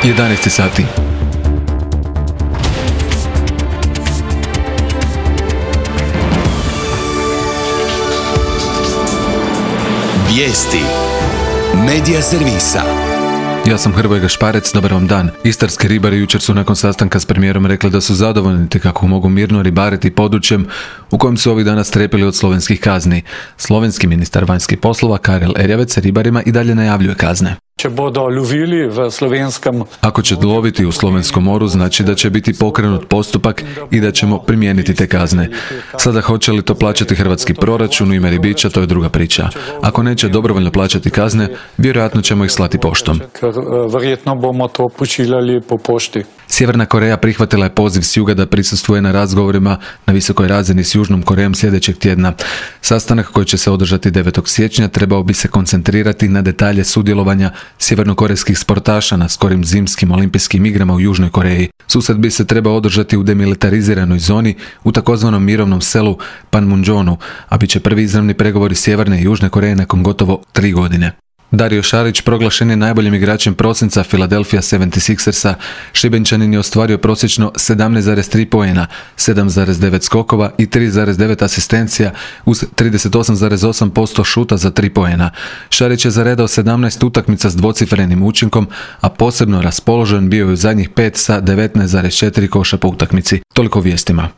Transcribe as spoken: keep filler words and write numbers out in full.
jedanaest sati. Vijesti Medija servisa. Ja sam Hrvoje Gašparec, dobar vam dan. Istarski ribari jučer su nakon sastanka s premijerom rekli da su zadovoljni te kako mogu mirno ribariti područjem u kojem su ovih dana strepili od slovenskih kazni. Slovenski ministar vanjskih poslova Karel Erjavec ribarima i dalje najavljuje kazne. Če bodo lovili v slovenskem... Ako će loviti u Slovenskom moru, znači da će biti pokrenut postupak i da ćemo primijeniti te kazne. Sada hoće li to plaćati hrvatski proračun u ime ribiča, to je druga priča. Ako neće dobrovoljno plaćati kazne, vjerojatno ćemo ih slati poštom. Vjerojatno bomo to pošiljali po pošti. Sjeverna Koreja prihvatila je poziv s juga da prisustvuje na razgovorima na visokoj razini s Južnom Korejom sljedećeg tjedna. Sastanak koji će se održati devetog siječnja trebao bi se koncentrirati na detalje sudjelovanja sjevernokorejskih sportaša na skorim zimskim olimpijskim igrama u Južnoj Koreji. Susret bi se trebao održati u demilitariziranoj zoni u takozvanom mirovnom selu Panmunjonu, a bit će prvi izravni pregovori Sjeverne i Južne Koreje nakon gotovo tri godine. Dario Šarić proglašen je najboljim igračem prosinca Philadelphia sedamdeset šestersa. Šibenčanin je ostvario prosječno sedamnaest zarez tri poena, sedam zarez devet skokova i tri zarez devet asistencija uz trideset osam zarez osam posto šuta za tri poena. Šarić je zaredao sedamnaest utakmica s dvocifrenim učinkom, a posebno raspoložen bio je u zadnjih pet sa devetnaest zarez četiri koša po utakmici. Toliko vijestima.